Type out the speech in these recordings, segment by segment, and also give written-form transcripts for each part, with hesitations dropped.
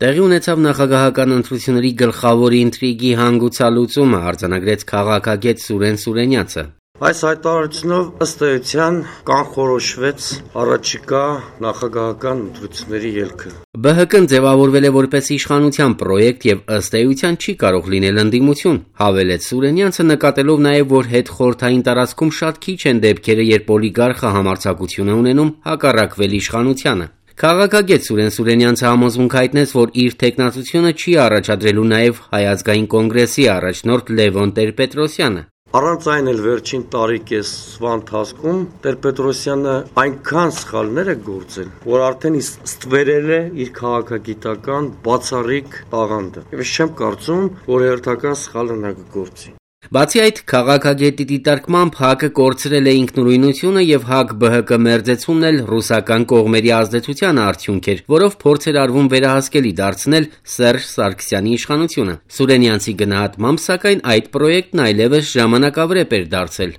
Տեղի ունեցավ նախագահական ընտրությունների գլխավոր ինտրիգի հանգուցալուծումը, արձանագրեց քաղաքագետ Սուրեն Սուրենյացը։ Այս հայտարարությունով ըստ էության կանխորոշվեց առաջիկա նախագահական ընտրությունների ելքը։ ԲՀԿ-ն ձևավորվել է որպես իշխանության պրոյեկտ եւ ըստ էության չի կարող լինել ընդդիմություն, հավելեց Սուրենյանցը, նկատելով նաեւ, որ հետխորհրդային տարածքում շատ քիչ են դեպքերը, երբ օլիգարխը համարձակություն է ունենում հակառակվել իշխանությանը։ Քաղաքագետ Սուրեն Սուրենյանցը համոզմունք հայտնեց, որ իր թեկնածությունը չի առաջադրելու նաև Հայ ազգային կոնգրեսի առաջնորդ Լևոն Տեր-Պետրոսյանը։ Առանց այն էլ վերջին տարի-կեսվա ընթացքում Տեր-Պետրոսյանը այնքան սխալներ է գործել, որ արդեն ստվերել է իր քաղաքագիտական բացառիկ տաղանդը։ Եվ ես չեմ կարծում, որ հերթական սխալը նա կգործի։ Բացի այդ, քաղաքագետի դիտարկմամբ ՀԱԿ-ը կորցրել է ինքնուրույնությունը եւ ՀԱԿ-ԲՀԿ մերձեցումն էլ ռուսական կողմերի ազդեցության արդյունք էր, որով փորձ էր արվում վերահասկելի դարձնել Սերժ Սարգսյանի իշխանությունը։ Սուրենյանցի գնահատմամբ, սակայն այդ պրոյեկտն այլևս ժամանակավրեպ էր դարձել։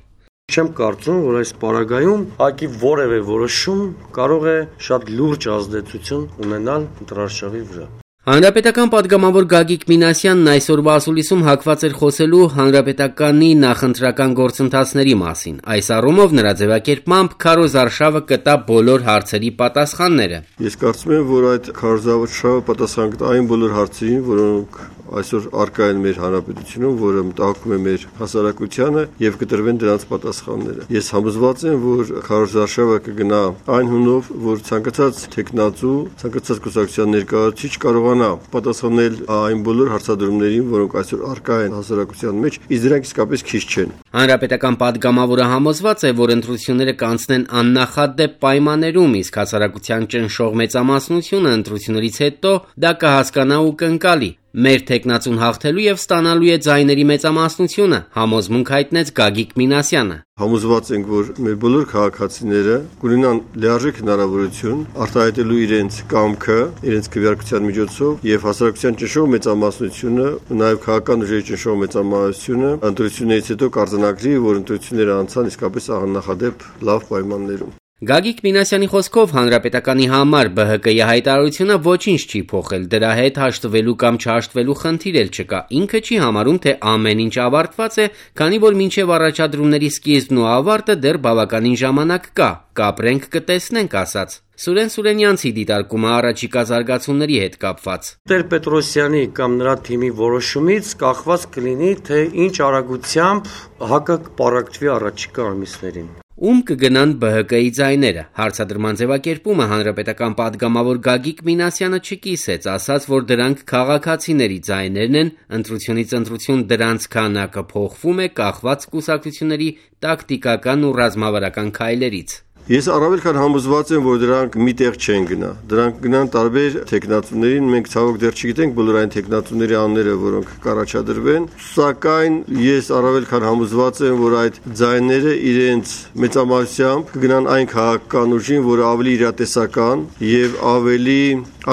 Չեմ կարծում, որ այս պարագայում ՀԱԿ-ի որևէ որոշում կարող է շատ լուրջ ազդեցություն ունենալ ընտրարշավի վրա։ Հանրապետական падգամավոր Գագիկ Մինասյանն այսօրվա ասուլիսում հակված էր խոսելու հանրապետականի նախընտրական գործընթացների մասին։ Այս առումով նրա ձևակերպմամբ քարոզարշավը կտա բոլոր հարցերի պատասխանները։ Ես կարծում եմ, որ այդ քարոզարշավը պատասխան կտա այն բոլոր հարցերին, որոնք այսօր առկա են մեր հանրապետությունում, որը մտահոգում է մեր հասարակությանը եւ կտրվեն դրանց պատասխանները։ Ես համոզված եմ, որ քարոզարշավը կգնա այն հունով, որ ցանկացած տեխնացու, ցանկացած կուսակցության ներկայացուցիչ կարողանա պատասխանել այն բոլոր հարցադրումներին, որոնք այսօր առկա են հասարակության մեջ, իսկ դրանք իսկապես քիչ չեն։ Հանրապետական падգամավորը համոզված է, որ ընտրությունները կանցնեն աննախադեպ պայմաններում, իսկ հասարակության ճնշող մեծամասնությունը ընտրություններից հետո դա կհասկանա ու կընկալի։ Մեր տեխնացուն հաղթելու եւ ստանալու է ձայների մեծամասնությունը, համոզմունք հայտնեց Գագիկ Մինասյանը։ Համոզված ենք, որ մեր բոլոր քաղաքացիները կունենան լիարժեք հնարավորություն արտահայտելու իրենց կամքը, իրենց քվեարկության միջոցով եւ հասարակության ճնշող մեծամասնությունը, նաեւ քաղաքական ուժերի ճնշող մեծամասնությունը ընտրություններից հետո կարձանագրի, որ ընտրությունները անցան իսկապես աննախադեպ լավ պայմաններում։ Գագիկ Մինասյանի խոսքով հանրապետականի համար ԲՀԿ-ի հայտարարությունը ոչինչ չի փոխել, դրա հետ հաշտվելու կամ չհաշտվելու խնդիր էլ չկա։ Ինքը չի համարում, թե ամեն ինչ ավարտված է, քանի որ մինչև առաջադրումների սկիզբն ու ավարտը դեռ բավականին ժամանակ կա։ Կապրենք կտեսնենք, ասաց։ Սուրեն Սուրենյանցի դիտարկումը առաջիկա զարգացումների հետ կապված։ Տեր-Պետրոսյանի կամ նրա թիմի որոշումից կախված կլինի, թե ինչ արագությամբ ՀԱԿ-ը կպարակտվի առաջիկա ամիսներին։ Ում կգնան ԲՀԿ-ի ձայները։ Հարցադրման ձևակերպումը հանրապետական падգամավոր Գագիկ Մինասյանը չկիսեց, ասաց, որ դրանք քաղաքացիների ձայներն են, ընտրությունից ընտրություն դրանց քանակը փոխվում է կախված կուսակցությունների տակտիկական ու ռազմավարական քայլերից։ Ես առավել քան համոզված եմ, որ դրանք միտեղ չեն գնա։ Դրանք գնան տարբեր տեխնացուներին, մենք ցավոք դեռ չգիտենք բոլոր այն տեխնացուների անունները, որոնք կառաջադրվեն, սակայն ես առավել քան համոզված եմ, որ այդ ձայները իրենց մեծամասնությամբ կգնան այն քաղաքական ուժին, որը ավելի իրատեսական եւ ավելի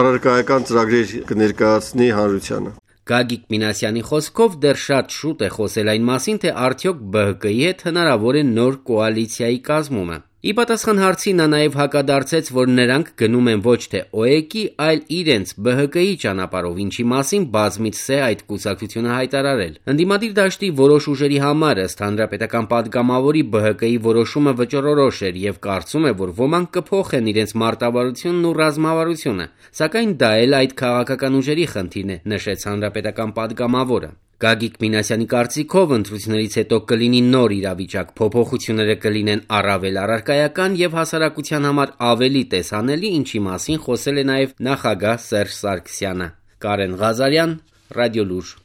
առարկայական ծրագրեր կներկայացնի հանրությանը։ Գագիկ Մինասյանի խոսքով դեռ շատ շուտ է խոսել այն մասին, թե արդյոք ԲՀԿ-ի հետ հնարավոր է նոր կոալիցիայի կազմումը։ Ի պատասխան հարցի նա նաև հակադարձեց, որ նրանք գնում են ոչ թե ՕԵԿ-ի, այլ իրենց ԲՀԿ-ի ճանապարհով, ինչի մասին բազմիցս է այդ կուսակցությունը հայտարարել։ Ընդդիմադիր դաշտի որոշ ուժերի համար ըստ հանրապետական падգամավորի ԲՀԿ-ի որոշումը վճռորոշ էր եւ կարծում է, որ ոմանք կփոխեն իրենց մարտավարությունն ու ռազմավարությունը, սակայն դա էլ այդ քաղաքական ուժերի խնդիրն է, նշեց հանրապետական падգամավորը։ Գագիկ Մինասյանի կարծիքով ընտրություններից հետո կլինի նոր իրավիճակ, փոփոխությունները կլինեն առավել առարկայական եւ հասարակության համար ավելի տեսանելի, ինչի մասին խոսել է նաեւ նախագահ Սերժ Սարգսյանը։ Կարեն Ղազարյան, Ռադիոլուր։